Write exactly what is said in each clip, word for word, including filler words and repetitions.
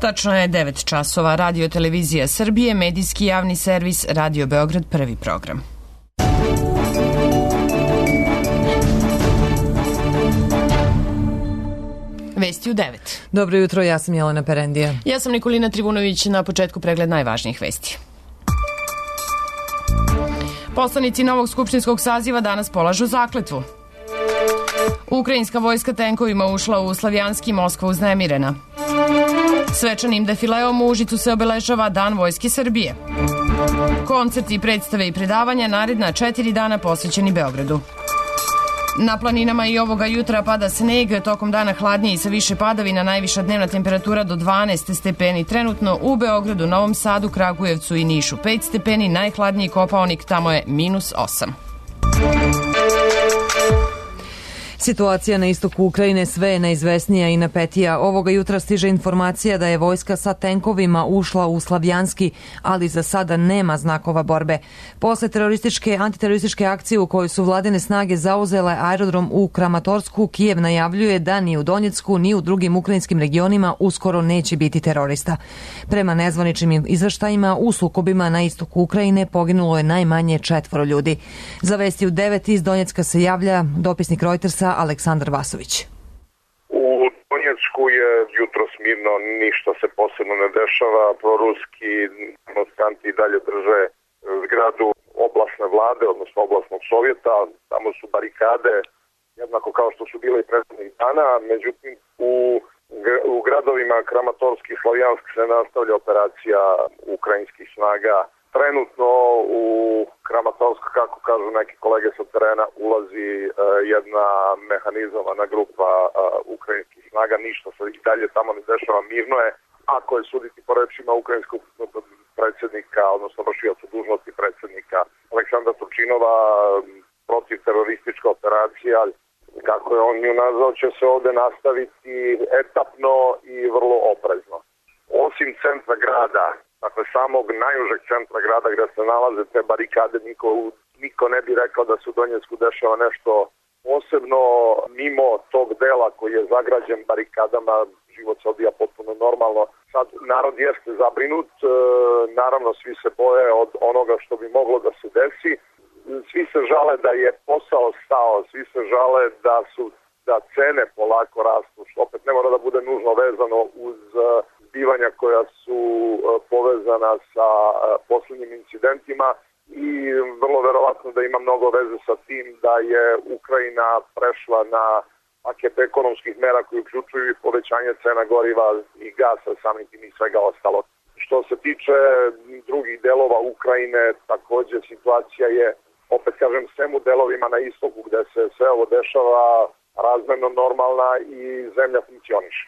Tačno je devet časova. Radio Televizija Srbije, medijski javni servis, Radio Beograd, prvi program. Vesti u devet. Dobro jutro, ja sam Jelena Perendija. Ja sam Nikolina Trivunović, na početku pregled najvažnijih vesti. Poslanici novog skupštinskog saziva danas polažu zakletvu. Ukrajinska vojska tenkovima ušla u Slavjanski, Moskva uznemirena. Svečanim defileom u Užicu se obeležava Dan Vojske Srbije. Koncerti, predstave i predavanja naredna četiri dana posvećeni Beogradu. Na planinama i ovoga jutra pada sneg, tokom dana hladnije i sa više padavina, najviša dnevna temperatura do dvanaest stepeni. Trenutno u Beogradu, Novom Sadu, Kragujevcu i Nišu pet stepeni, najhladniji Kopaonik, tamo je minus osam. Situacija na istoku Ukrajine sve je neizvesnija i napetija. Ovoga jutra stiže informacija da je vojska sa tenkovima ušla u Slavjanski, ali za sada nema znakova borbe. Posle terorističke, antiterorističke akcije u kojoj su vladine snage zauzele aerodrom u Kramatorsku, Kijev najavljuje da ni u Donjecku ni u drugim ukrajinskim regionima uskoro neće biti terorista. Prema nezvaničnim izveštajima, u sukobima na istoku Ukrajine poginulo je najmanje četvoro ljudi. Za vesti u devet iz Donjecka se javlja dopisnik Reutersa Aleksandar Vasović. U Donjecku je jutro smirno, ništa se posebno ne dešava. Proruski demonstranti i dalje drže zgradu oblasne vlade, odnosno oblasnog sovjeta. Tamo su barikade, jednako kao što su bile i prethodnih dana. Međutim, u, u gradovima Kramatorski i Slavjansk se nastavlja operacija ukrajinskih snaga. Trenutno u Kramatorsk, kako kažu neki kolege sa terena, ulazi uh, jedna mehanizovana grupa uh, ukrajinskih snaga. Ništa se i dalje tamo ne dešava, mirno je. Ako je suditi po rečima ukrajinskog predsjednika, odnosno vršioca dužnosti predsjednika Aleksandra Turčinova, protiv teroristička operacija, kako je on nju nazvao, će se ovde nastaviti etapno i vrlo oprezno. Osim centra grada, dakle samog najužeg centra grada gde se nalaze te barikade, niko, niko ne bi rekao da se u Donjecku dešava nešto posebno. Mimo tog dela koji je zagrađen barikadama, život se odvija potpuno normalno. Sad narod jeste zabrinut, e, naravno svi se boje od onoga što bi moglo da se desi. Svi se žale da je posao stao, svi se žale da su da cene polako rastu, što opet ne mora da bude nužno vezano uz zbivanja koja su povezana sa posljednjim incidentima i vrlo verovatno da ima mnogo veze sa tim da je Ukrajina prešla na paket ekonomskih mera koji uključuju i povećanje cena goriva i gasa, samim tim i svega ostalo. Što se tiče drugih delova Ukrajine, također situacija je, opet kažem, svem u delovima na istoku gde se sve ovo dešava razmerno normalna i zemlja funkcioniše.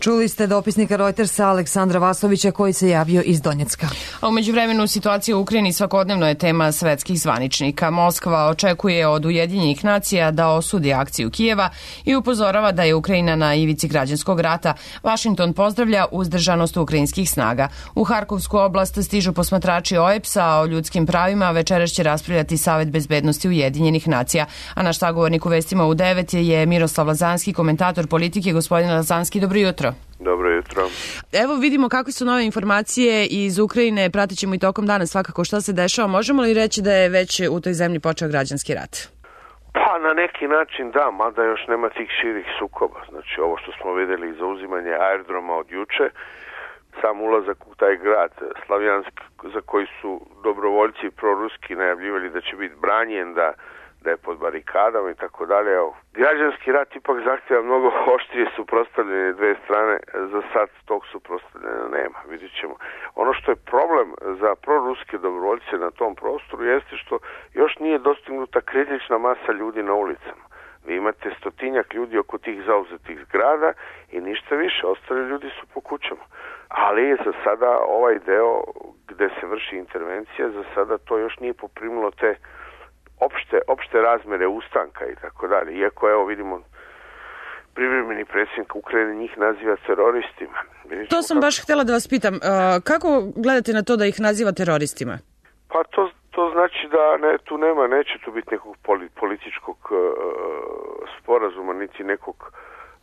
Čuli ste dopisnika Reutersa Aleksandra Vasovića koji se javio iz Donjecka. A u međuvremenu situacija u Ukrajini svakodnevno je tema svetskih zvaničnika. Moskva očekuje od Ujedinjenih nacija da osudi akciju Kijeva i upozorava da je Ukrajina na ivici građanskog rata. Vašington pozdravlja uzdržanost ukrajinskih snaga. U Harkovsku oblast stižu posmatrači O E P S-a o ljudskim pravima, večeras će raspravljati Savet bezbednosti Ujedinjenih nacija. A naš sagovornik u vestima u devet je Miroslav Lazanski, komentator politike. Gospodine Lazanski, dobro jutro. Dobro jutro. Evo vidimo kakve su nove informacije iz Ukrajine, pratit ćemo i tokom dana svakako šta se dešava. Možemo li reći da je već u toj zemlji počeo građanski rat? Pa na neki način da, mada još nema tih širih sukoba. Znači ovo što smo vidjeli, zauzimanje aerodroma od juče, sam ulazak u taj grad Slavjansk za koji su dobrovoljci proruski najavljivali da će biti branjen, da da je pod barikadama i tako dalje. Građanski rat ipak zahtjeva mnogo oštrije suprotstavljene dve strane. Za sad tog suprotstavljena nema, vidjet ćemo. Ono što je problem za proruske dobrovoljce na tom prostoru jeste što još nije dostignuta kritična masa ljudi na ulicama. Vi imate stotinjak ljudi oko tih zauzetih zgrada i ništa više, ostali ljudi su po kućama. Ali za sada ovaj deo gde se vrši intervencija, za sada to još nije poprimilo te opšte, opšte razmere ustanka i tako dalje. Iako evo vidimo privremeni predsjednik Ukrajine njih naziva teroristima. Vidimo to sam kako... baš htjela da vas pitam. Kako gledate na to da ih naziva teroristima? Pa to, to znači da ne, tu nema, neće tu biti nekog političkog uh, sporazuma, niti nekog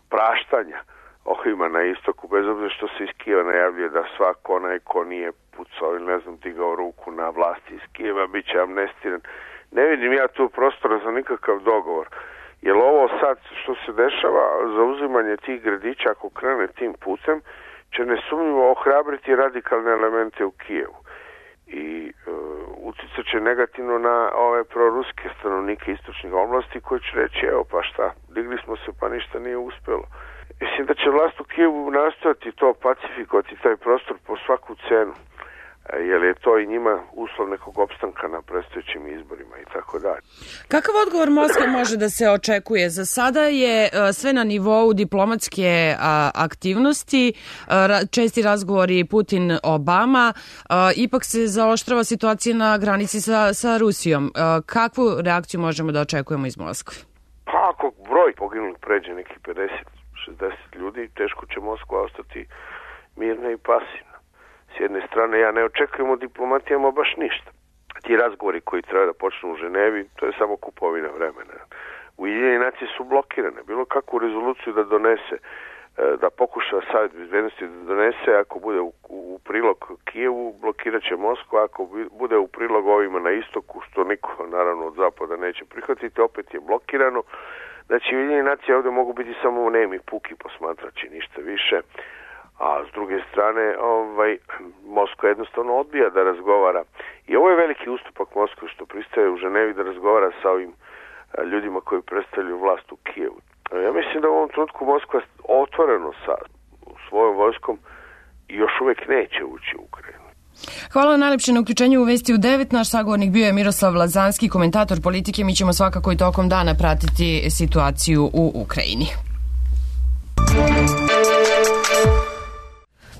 praštanja. ovima na istoku, bez obzira što se iz Kijeva najavljuje da svako onaj ko nije pucao ili ne znam digao ruku na vlasti iz Kijeva bit će amnestiran. Ne vidim ja tu prostora za nikakav dogovor. Jer ovo sad što se dešava, zauzimanje tih gradića ako krene tim putem, će nesumnjivo ohrabriti radikalne elemente u Kijevu. I e, utjecat će negativno na ove proruske stanovnike istočnih oblasti koji će reći, evo pa šta, digli smo se pa ništa nije uspjelo. Mislim da će vlast u Kijevu nastojati to pacifikovati, taj prostor po svaku cenu, jer je to i njima uslov nekog opstanka na predstojećim izborima i tako dalje. Kakav odgovor Moskve može da se očekuje? Za sada je sve na nivou diplomatske aktivnosti, česti razgovori Putin-Obama, ipak se zaoštrava situacija na granici sa, sa Rusijom. Kakvu reakciju možemo da očekujemo iz Moskve? Pa ako broj poginulih pređe nekih pedeset šezdeset ljudi, teško će Moskva ostati mirna i pasivna. S jedne strane, ja ne očekujem od diplomatijama baš ništa. Ti razgovori koji treba da počnu u Ženevi, to je samo kupovina vremena. Ujedinjene nacije su blokirane. Bilo kakvu rezoluciju da donese, da pokuša Savjet bezbednosti da donese, ako bude u, u prilog Kijevu, blokirat će Moskva, ako bude u prilog ovima na istoku, što niko naravno od zapada neće prihvatiti, opet je blokirano. Znači, Ujedinjene nacije ovdje mogu biti samo nemi, puki posmatrači, ništa više. A s druge strane, ovaj, Moskva jednostavno odbija da razgovara. I ovo je veliki ustupak Moskve što pristaje u Ženevi da razgovara sa ovim ljudima koji predstavljaju vlast u Kijevu. Ja mislim da u ovom trenutku Moskva otvoreno sa svojom vojskom još uvijek neće ući u Ukrajinu. Hvala najlepše na uključenju u Vesti u devet. Naš sagovornik bio je Miroslav Lazanski, komentator politike. Mi ćemo svakako i tokom dana pratiti situaciju u Ukrajini.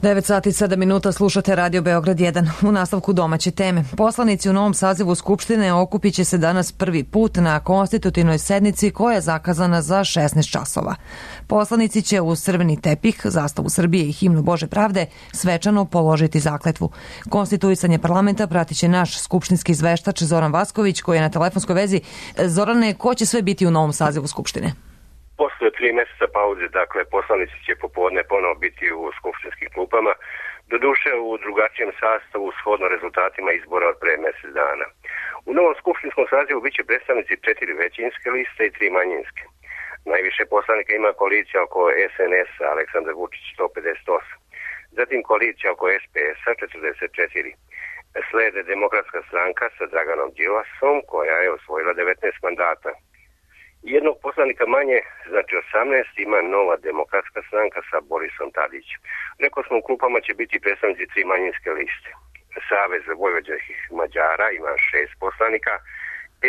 devet sati i sedam minuta, slušate Radio Beograd jedan. U nastavku domaće teme. Poslanici u novom sazivu Skupštine okupit će se danas prvi put na konstitutivnoj sednici koja je zakazana za šesnaest časova. Poslanici će uz crveni tepih, zastavu Srbije i himnu Bože pravde svečano položiti zakletvu. Konstituisanje parlamenta pratit će naš skupštinski izveštač Zoran Vasković koji je na telefonskoj vezi. Zorane, ko će sve biti u novom sazivu Skupštine? Posle tri mjeseca pauze, dakle, poslanici će popodne ponovo biti u skupštinskim klupama, doduše u drugačijem sastavu shodno rezultatima izbora od pre mjesec dana. U novom skupštinskom sazivu bit će predstavnici četiri većinske liste i tri manjinske. Najviše poslanika ima koalicija oko S N S-a, Aleksandar Vučić sto pedeset osam. Zatim koalicija oko S P S-a četrdeset četiri. Slede Demokratska stranka sa Draganom Đilasom koja je osvojila devetnaest mandata. Jednog poslanika manje, znači osamnaest, ima Nova demokratska stranka sa Borisom Tadićem. Rekao smo, u klupama će biti predstavnici tri manjinske liste. Savez vojvođanskih Mađara ima šest poslanika,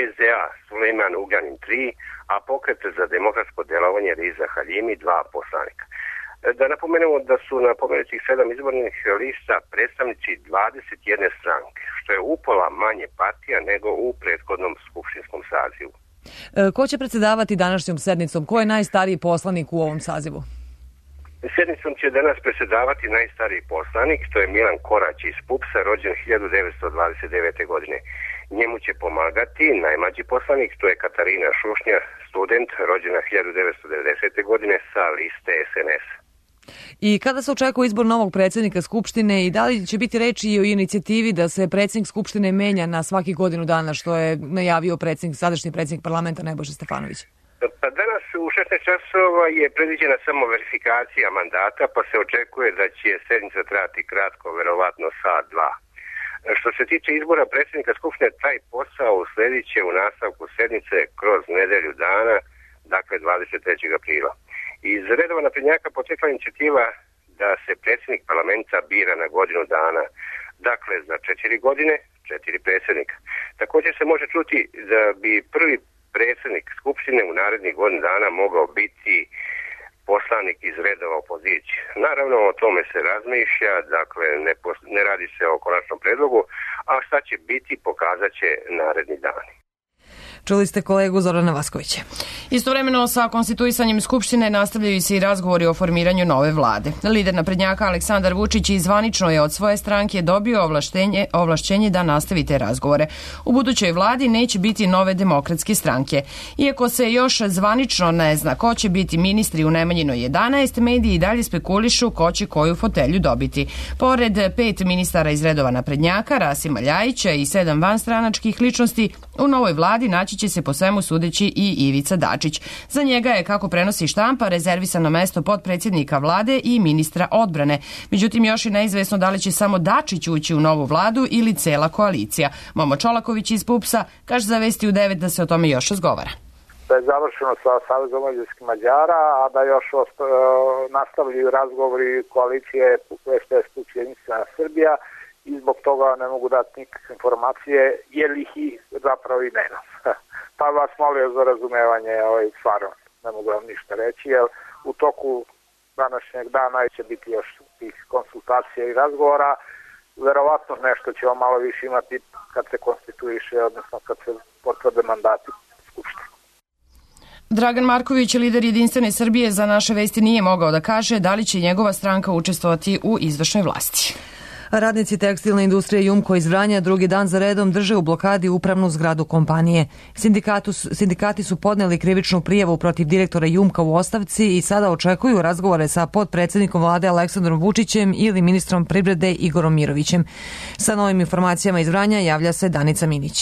S D A Sulejman Ugljanin tri, a Pokret za demokratsko delovanje Riza Haljimi dva poslanika. Da napomenemo da su na pomenutih sedam izbornih lista predstavnici dvadeset jedne stranke, što je upola manje partija nego u prethodnom skupštinskom sazivu. Ko će predsjedavati današnjom sednicom? Ko je najstariji poslanik u ovom sazivu? Sednicom će danas predsjedavati najstariji poslanik, to je Milan Korać iz P U P S-a, rođen hiljadu devetsto dvadeset devete. godine. Njemu će pomagati najmlađi poslanik, to je Katarina Šušnja, student, rođena hiljadu devetsto devedesete. godine sa liste S N S. I kada se očekuje izbor novog predsjednika Skupštine i da li će biti reči i o inicijativi da se predsjednik Skupštine menja na svaki godinu dana, što je najavio predsjednik, sadašnji predsjednik parlamenta Nebojša Stefanović? Pa danas u šesnaest časova je predviđena samo verifikacija mandata, pa se očekuje da će sednica trajati kratko, verovatno sat, dva. Što se tiče izbora predsjednika Skupštine, taj posao usledit će u nastavku sednice kroz nedelju dana, dakle dvadeset trećeg aprila. Iz redova naprednjaka potekla inicijativa da se predsjednik parlamenta bira na godinu dana, dakle za četiri godine, četiri predsjednika. Također se može čuti da bi prvi predsjednik Skupštine u narednih godinu dana mogao biti poslanik iz redova opozicije. Naravno, o tome se razmišlja, dakle ne, ne radi se o konačnom predlogu, a šta će biti pokazat će naredni dani. Čuli ste kolegu Zorana Vaskovića. Istovremeno sa konstituisanjem Skupštine nastavljaju se i razgovori o formiranju nove vlade. Lider naprednjaka Aleksandar Vučić zvanično je od svoje stranke dobio ovlaštenje, ovlašćenje da nastavi te razgovore. U budućoj vladi neće biti nove demokratske stranke. Iako se još zvanično ne zna ko će biti ministri u Nemanjinoj jedanaest, mediji i dalje spekulišu ko će koju fotelju dobiti. Pored pet ministara iz redova naprednjaka, Rasima Ljajića i sedam vanstranačkih ličnosti, u novoj vladi naći će se po svemu sudeći i Ivica Dačić. Za njega je, kako prenosi štampa, rezervisano mesto potpredsjednika vlade i ministra odbrane. Međutim, još je neizvesno da li će samo Dačić ući u novu vladu ili cela koalicija. Momo Čolaković iz PUPS-a kaže za Vesti u devet da se o tome još razgovara. Da je završeno sa Savezom vojvođanskih Mađara, a da još osta, nastavljaju razgovori koalicije S D S plus Jedinstvena Srbija i zbog toga ne mogu dati nikakve informacije, jer ih i zapravo i nema. Pa vas molio za razumevanje, ovaj, stvarno ne mogu vam ništa reći, jer u toku današnjeg dana će biti još tih konsultacija i razgovora. Verovatno nešto ćemo malo više imati kad se konstituiše, odnosno kad se potvrde mandati Skupštine. Dragan Marković, lider Jedinstvene Srbije, za Naše vesti nije mogao da kaže da li će njegova stranka učestvovati u izvršnoj vlasti. Radnici tekstilne industrije Jumko iz Vranja drugi dan za redom drže u blokadi upravnu zgradu kompanije. Sindikatu, sindikati su podneli krivičnu prijavu protiv direktora Jumka u ostavci i sada očekuju razgovore sa potpredsjednikom vlade Aleksandrom Vučićem ili ministrom privrede Igorom Mirovićem. Sa novim informacijama iz Vranja javlja se Danica Minić.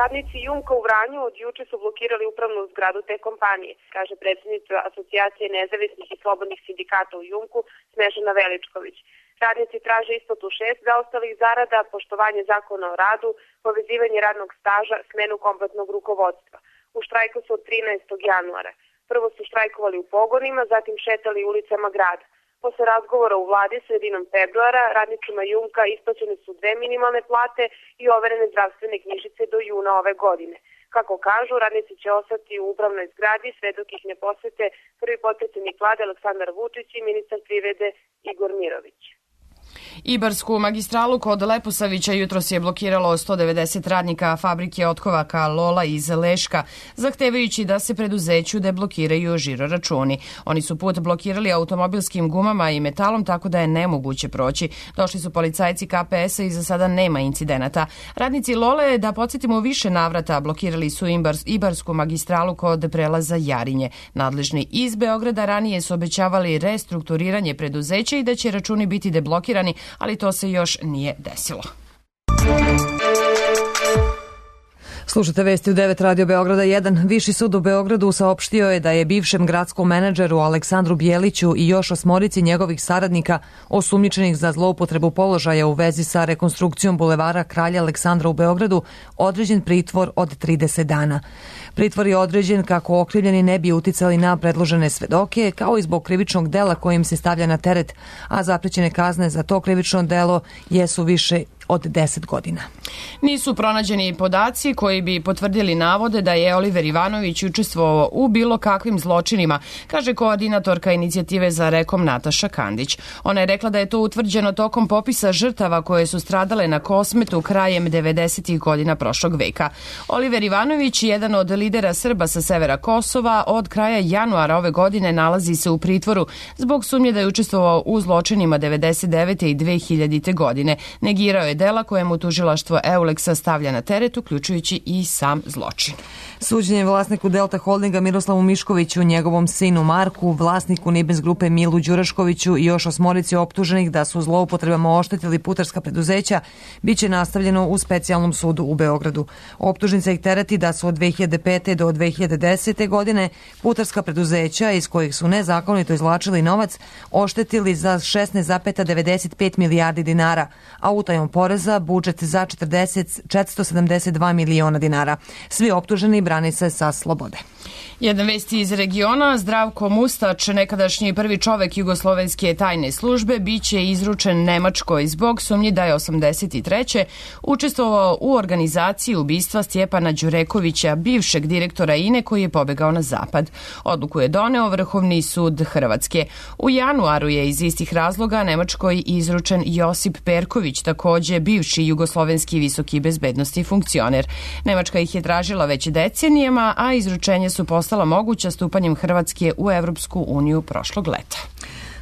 Radnici Jumka u Vranju od juče su blokirali upravnu zgradu te kompanije, kaže predsjednica Asocijacije nezavisnih i slobodnih sindikata u Jumku Snežana Veličković. Radnici traže isplatu šest zaostalih zarada, poštovanje zakona o radu, povezivanje radnog staža, smenu kompletnog rukovodstva. U štrajku su od trinaestog januara. Prvo su štrajkovali u pogonima, zatim šetali ulicama grada. Posle razgovora u vladi sredinom februara radnicima Jumka isplaćene su dve minimalne plate i overene zdravstvene knjižice do juna ove godine. Kako kažu, radnici će ostati u upravnoj zgradi sve dok ih ne posete prvi potpredsjednik vlade Aleksandar Vučić i ministar privrede Igor Mirović. Ibarsku magistralu kod Leposavića jutros je blokiralo sto devedeset radnika fabrike otkovaka Lola iz Leška, zahtevajući da se preduzeću deblokiraju žiroračuni. Oni su put blokirali automobilskim gumama i metalom, tako da je nemoguće proći. Došli su policajci K P S-a i za sada nema incidenata. Radnici Lole, da podsjetimo, u više navrata blokirali su Ibarsku magistralu kod prelaza Jarinje. Nadležni iz Beograda ranije su obećavali restrukturiranje preduzeća i da će računi biti deblokirani, ali to se još nije desilo. Slušate Vesti u devet Radio Beograda jedan. Viši sud u Beogradu saopštio je da je bivšem gradskom menadžeru Aleksandru Bjeliću i još osmorici njegovih saradnika osumnjičenih za zloupotrebu položaja u vezi sa rekonstrukcijom bulevara Kralja Aleksandra u Beogradu određen pritvor od trideset dana. Pritvor je određen kako okrivljeni ne bi uticali na predložene svedoke, kao i zbog krivičnog dela kojim se stavlja na teret, a zaprećene kazne za to krivično delo jesu više od deset godina. Nisu pronađeni podaci koji bi potvrdili navode da je Oliver Ivanović učestvovao u bilo kakvim zločinima, kaže koordinatorka inicijative za rekom Nataša Kandić. Ona je rekla da je to utvrđeno tokom popisa žrtava koje su stradale na Kosmetu krajem devedesetih godina prošlog veka. Oliver Ivanović, jedan od lidera Srba sa severa Kosova, od kraja januara ove godine nalazi se u pritvoru zbog sumnje da je učestvovao u zločinima devedeset devete i dve hiljadite godine. Negirao je dela kojemu tužilaštvo Euleksa stavlja na teret, uključujući i sam zločin. Suđenje vlasniku Delta Holdinga Miroslavu Miškoviću, njegovom sinu Marku, vlasniku Nibens grupe Milu Đuraškoviću i još osmorici optuženih da su zloupotrebama oštetili putarska preduzeća biće nastavljeno u specijalnom sudu u Beogradu. Optužnica ih tereti da su od dve hiljade pete do dve hiljade desete godine putarska preduzeća iz kojih su nezakonito izvlačili novac oštetili za šesnaest zarez devedeset pet milijardi dinara, a utajom poreza budžet za četiristo sedamdeset dva miliona dinara. Svi optuženi brane se sa slobode. Jedna vest iz regiona, Zdravko Mustač, nekadašnji prvi čovek jugoslovenske tajne službe, biće izručen Nemačkoj zbog sumnji da je osamdeset treće učestvovao u organizaciji ubistva Stjepana Đurekovića, bivšeg bivšeg direktora I N E koji je pobegao na zapad. Odluku je doneo Vrhovni sud Hrvatske. U januaru je iz istih razloga Nemačkoj izručen Josip Perković, takođe bivši jugoslovenski visoki bezbednosni funkcioner. Nemačka ih je tražila već decenijama, a izručenje su postala moguća stupanjem Hrvatske u Evropsku uniju prošlog leta.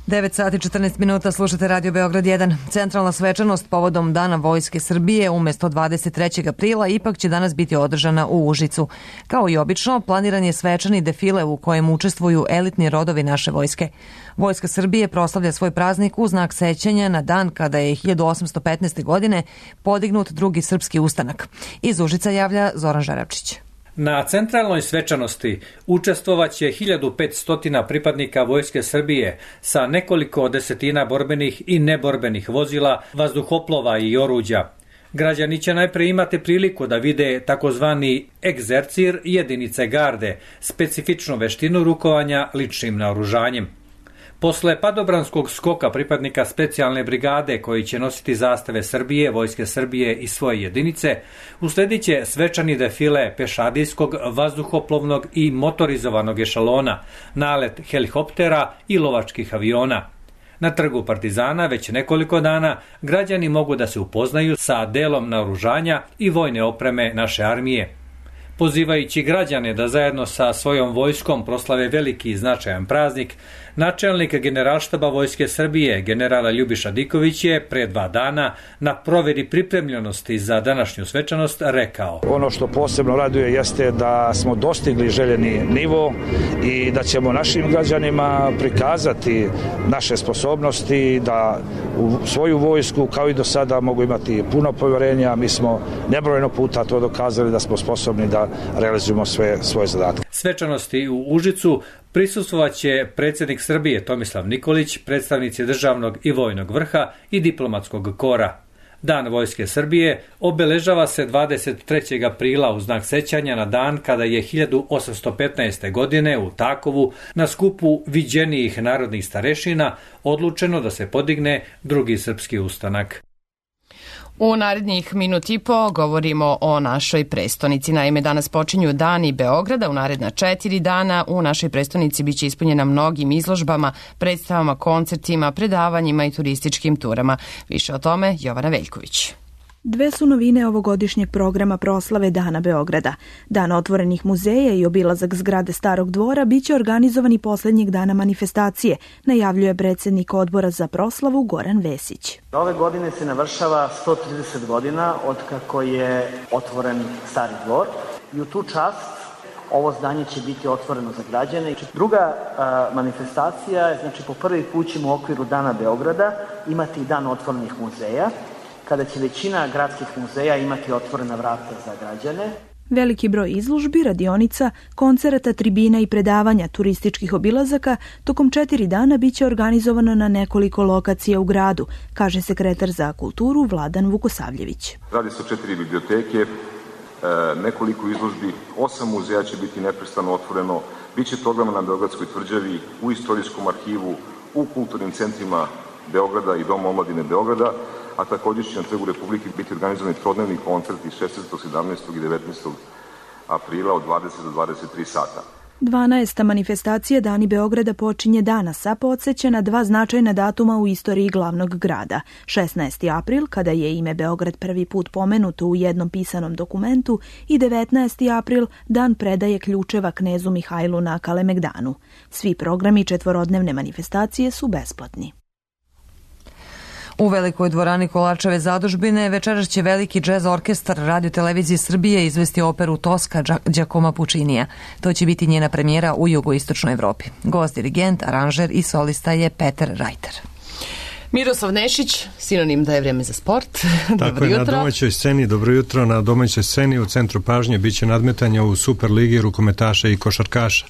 devet sati i četrnaest minuta, slušate Radio Beograd jedan. Centralna svečanost povodom Dana Vojske Srbije umesto dvadeset trećeg aprila ipak će danas biti održana u Užicu. Kao i obično, planiran je svečani defile u kojem učestvuju elitni rodovi naše vojske. Vojska Srbije proslavlja svoj praznik u znak sećanja na dan kada je hiljadu osamsto petnaeste. godine podignut drugi srpski ustanak. Iz Užica javlja Zoran Žaravčić. Na centralnoj svečanosti učestvovaće hiljadu petsto pripadnika Vojske Srbije sa nekoliko desetina borbenih i neborbenih vozila, vazduhoplova i oruđa. Građani će najpre imati priliku da vide takozvani egzercir jedinice garde, specifičnu veštinu rukovanja ličnim naoružanjem. Posle padobranskog skoka pripadnika specijalne brigade koji će nositi zastave Srbije, Vojske Srbije i svoje jedinice, usledit će svečani defile pešadijskog, vazduhoplovnog i motorizovanog ešalona, nalet helikoptera i lovačkih aviona. Na trgu Partizana već nekoliko dana građani mogu da se upoznaju sa delom naoružanja i vojne opreme naše armije. Pozivajući građane da zajedno sa svojom vojskom proslave veliki i značajan praznik, načelnik Generalštaba Vojske Srbije, generala Ljubiša Diković je pre dva dana na proveri pripremljenosti za današnju svečanost rekao: Ono što posebno raduje jeste da smo dostigli željeni nivo i da ćemo našim građanima prikazati naše sposobnosti, da u svoju vojsku kao i do sada mogu imati puno povjerenja. Mi smo nebrojeno puta to dokazali da smo sposobni da realizujemo sve svoje zadatke. Svečanosti u Užicu prisustvovaće predsjednik Srbije Tomislav Nikolić, predstavnici državnog i vojnog vrha i diplomatskog kora. Dan Vojske Srbije obeležava se dvadeset trećeg aprila u znak sećanja na dan kada je hiljadu osamsto petnaeste. godine u Takovu na skupu viđenijih narodnih starešina odlučeno da se podigne drugi srpski ustanak. U narednih minut i po govorimo o našoj prestonici. Naime, danas počinju dani Beograda. U naredna četiri dana u našoj prestonici biće ispunjena mnogim izložbama, predstavama, koncertima, predavanjima i turističkim turama. Više o tome Jovana Veljković. Dve su novine ovogodišnjeg programa proslave Dana Beograda. Dan otvorenih muzeja i obilazak zgrade Starog dvora biće organizovani poslednjeg dana manifestacije, najavljuje predsjednik odbora za proslavu Goran Vesić. Ove godine se navršava sto trideset godina od kako je otvoren Stari dvor i u tu čast ovo zdanje će biti otvoreno za građane. Druga a, manifestacija je, znači po prvi put ćemo u okviru Dana Beograda imati dan otvorenih muzeja, kada će većina gradskih muzeja imati otvorena vrata za građane. Veliki broj izložbi, radionica, koncerata, tribina i predavanja, turističkih obilazaka tokom četiri dana biće organizovano na nekoliko lokacija u gradu, kaže sekretar za kulturu Vladan Vukosavljević. Radi se o četiri biblioteke, nekoliko izložbi, osam muzeja će biti neprestano otvoreno, biće programa na Beogradskoj tvrđavi, u istorijskom arhivu, u kulturnim centrima Beograda i Doma omladine Beograda, a također će na Trgu Republike biti organizovani trodnevni koncerti šesnaestog, sedamnaestog i devetnaestog aprila od dvadeset do dvadeset tri sata. dvanaesta manifestacija Dani Beograda počinje danas, a podsjeća na dva značajna datuma u istoriji glavnog grada. šesnaesti april, kada je ime Beograd prvi put pomenuto u jednom pisanom dokumentu, i devetnaesti april, dan predaje ključeva knezu Mihajlu na Kalemegdanu. Svi programi četvorodnevne manifestacije su besplatni. U Velikoj dvorani Kolačeve zadužbine večeras će veliki džez orkestar Radio Televizije Srbije izvesti operu Toska Đakoma Pučinija. To će biti njena premijera u jugoistočnoj Evropi. Gost, dirigent, aranžer i solista je Peter Rajter. Miroslav Nešić, sinonim da je vreme za sport. Tako je, na domaćoj sceni, dobro jutro, na domaćoj sceni u centru pažnje biće nadmetanja u Superligi rukometaša i košarkaša.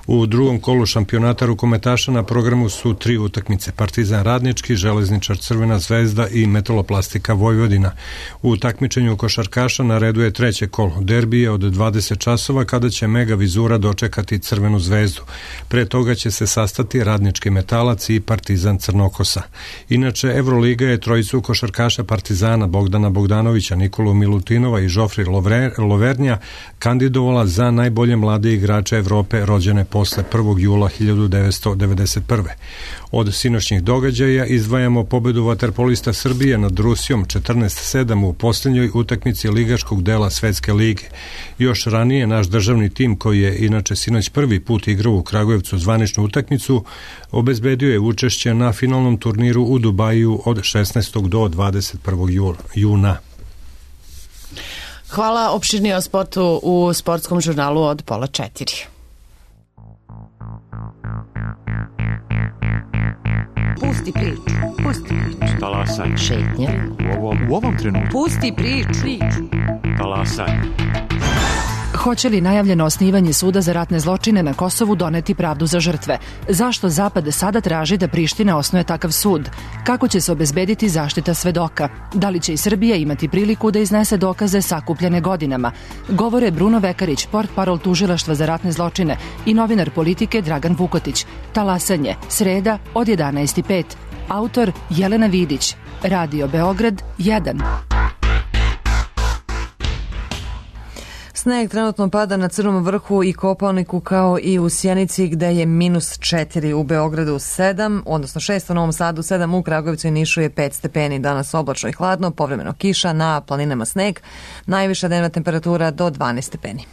U drugom kolu šampionata rukometaša na programu su tri utakmice: Partizan Radnički, Železničar Crvena zvezda i Metaloplastika Vojvodina. U takmičenju košarkaša na redu je treće kolo derbije od dvadeset časova kada će Mega Vizura dočekati Crvenu zvezdu. Pre toga će se sastati Radnički Metalac i Partizan Crnokosa. Inače, Evroliga je trojicu košarkaša Partizana Bogdana Bogdanovića, Nikolu Milutinova i Žofri Lovernja kandidovala za najbolje mlade igrače Evrope rođene posle prvog jula hiljadu devetsto devedeset prve. Od sinoćnih događaja izdvajamo pobedu vaterpolista Srbije nad Rusijom četrnaest sedam u posljednjoj utakmici ligaškog dela Svetske lige. Još ranije naš državni tim, koji je inače sinoć prvi put igrao u Kragujevcu zvaničnu utakmicu, obezbedio je učešće na finalnom turniru u Dubaju od šesnaestog do dvadeset prvog juna. Hvala, opširnije o sportu u sportskom žurnalu od pola četiri. Pusti priču, pusti priču. Talasaj. Šetnja. U ovom, u ovom trenutku. Pusti priču. Talasaj. Hoće li najavljeno osnivanje suda za ratne zločine na Kosovu doneti pravdu za žrtve? Zašto Zapad sada traži da Priština osnuje takav sud? Kako će se obezbediti zaštita svedoka? Da li će i Srbija imati priliku da iznese dokaze sakupljene godinama? Govore Bruno Vekarić, portparol tužilaštva za ratne zločine, i novinar Politike Dragan Vukotić. Talasanje, sreda od jedanaest i pet. Autor Jelena Vidić. Radio Beograd jedan. Sneg trenutno pada na Crnom vrhu i Kopaoniku, kao i u Sjenici, gde je minus četiri, u Beogradu sedam, odnosno šest, u Novom Sadu sedam, u Kragujevcu i Nišu je pet stepeni. Danas oblačno i hladno, povremeno kiša, na planinama sneg, najviša dnevna temperatura do dvanaest stepeni.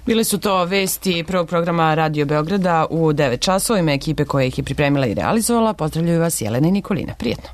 Bile su to vesti prvog programa Radio Beograda u devet časova. Ime ekipe koja ih je pripremila i realizovala. Pozdravljaju vas Jelena i Nikolina. Prijetno.